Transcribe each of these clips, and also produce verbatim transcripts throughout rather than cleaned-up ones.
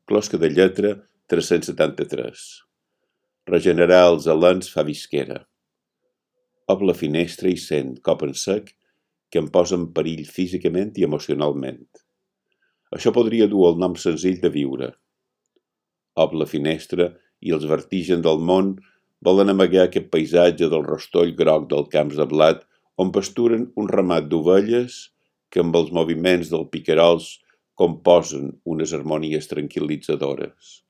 closca de lletra tres-cents setanta-tres. Regenerar els alens fa visquera. Ob la finestra i sent cop en sec que em posa en perill físicament i emocionalment. Això podria dur el nom senzill de viure. Ob la finestra i els vertigen del món volen amagar aquest paisatge del rostoll groc dels camps de blat on pasturen un ramat d'ovelles que amb els moviments del picarols composen unes harmonies tranquil·litzadores.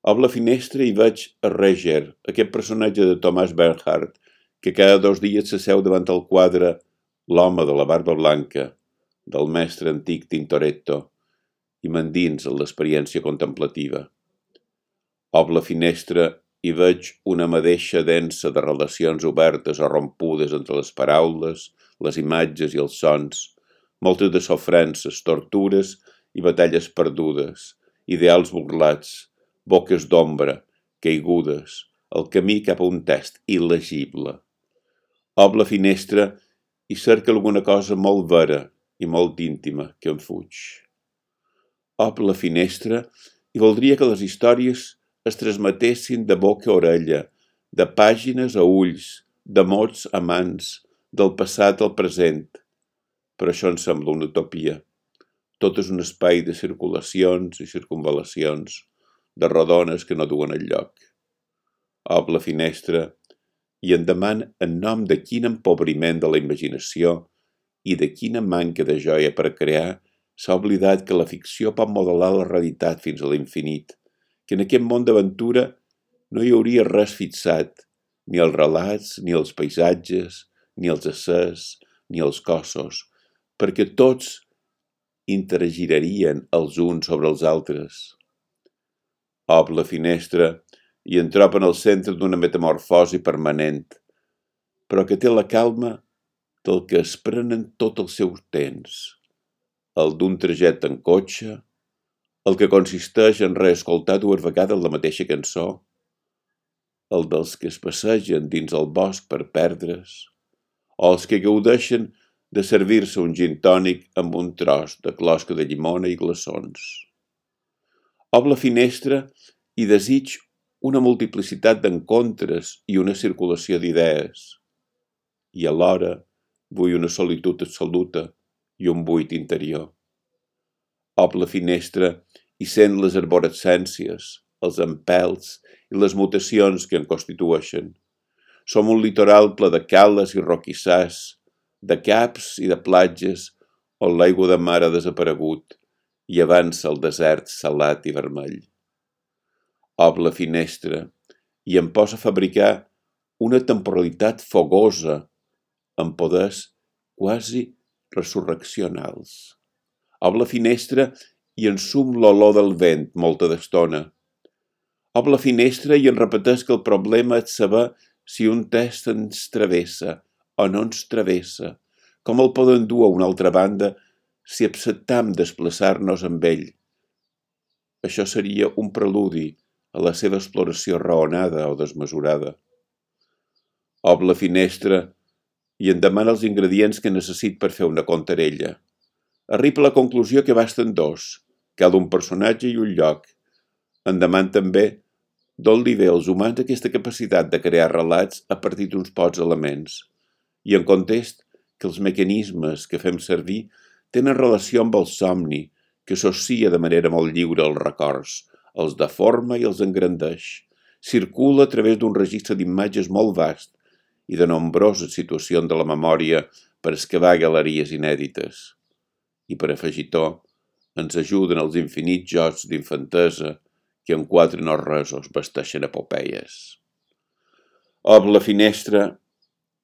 Ob la finestra hi veig a Reger, aquest personatge de Thomas Bernhard, que cada dos dies s'asseu davant el quadre L'home de la barba blanca, del mestre antic Tintoretto, i m'endins en l'experiència contemplativa. Ob la finestra hi veig una madeixa densa de relacions obertes o rompudes entre les paraules, les imatges i els sons, moltes de sofrences, tortures i batalles perdudes, ideals burlats, boques d'ombra, caigudes, el camí cap a un text il·legible. Ob la finestra i cerca alguna cosa molt vera i molt íntima que em fuig. Ob la finestra i voldria que les històries es transmetessin de boca a orella, de pàgines a ulls, de mots a mans, del passat al present. Però això em sembla una utopia. Tot és un espai de circulacions i circunvalacions, de rodones que no duen enlloc. Ob la finestra i em deman en nom de quin empobriment de la imaginació i de quina manca de joia per crear s'ha oblidat que la ficció pot modelar la realitat fins a l'infinit, que en aquest món d'aventura no hi hauria res fixat, ni els relats, ni els paisatges, ni els éssers, ni els cossos, perquè tots interagirien els uns sobre els altres. Ob la finestra i em trobo en el centre d'una metamorfosi permanent, però que té la calma del que es prenen tot el seu temps, el d'un trajecte en cotxe, el que consisteix en reescoltar dues vegades la mateixa cançó, el dels que es passegen dins el bosc per perdre's, o els que gaudeixen de servir-se un gin tònic amb un tros de closca de llimona i glaçons. Ob la finestra i desig una multiplicitat d'encontres i una circulació d'idees, i alhora vull una solitud absoluta i un buit interior. Ob la finestra i sent les arborescències, els empels i les mutacions que en constitueixen. Som un litoral ple de cales i roquissars, de caps i de platges on l'aigua de mar ha desaparegut i avança el desert salat i vermell. Ob la finestra i em posa a fabricar una temporalitat fogosa amb poders quasi resurreccionals. Ob la finestra i ensum l'olor del vent molta d'estona. Ob la finestra i em repeteix que el problema és saber si un text ens travessa o no ens travessa, com el poden dur a una altra banda si acceptam desplaçar-nos amb ell. Això seria un preludi a la seva exploració raonada o desmesurada. Ob la finestra i em demana els ingredients que necessit per fer una contarella. Arriba a la conclusió que basten dos, cada un personatge i un lloc. Em demana també d'on li ve als humans aquesta capacitat de crear relats a partir d'uns pocs elements, i en contest que els mecanismes que fem servir tenen relació amb el somni, que associa de manera molt lliure els records, els deforma i els engrandeix, circula a través d'un registre d'imatges molt vast i de nombroses situacions de la memòria per excavar galeries inèdites. I per afegir-ho, ens ajuden els infinits jocs d'infantesa que en quatre no resos vesteixen epopeies. Ob la finestra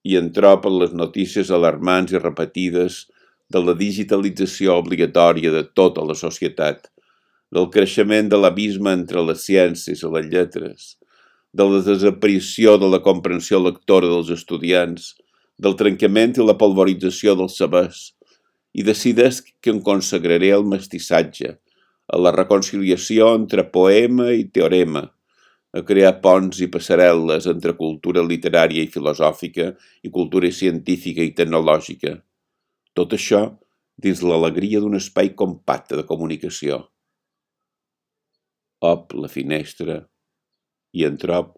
i en troben les notícies alarmants i repetides de la digitalització obligatòria de tota la societat, del creixement de l'abisme entre les ciències i les lletres, de la desaparició de la comprensió lectora dels estudiants, del trencament i la polvorització dels sabers, i decideix que em consagraré al mestissatge, a la reconciliació entre poema i teorema, a crear ponts i passarel·les entre cultura literària i filosòfica i cultura científica i tecnològica. Tot això dins l'alegria d'un espai compacte de comunicació. op la finestra i en trob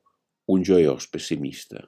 un joiós pessimista.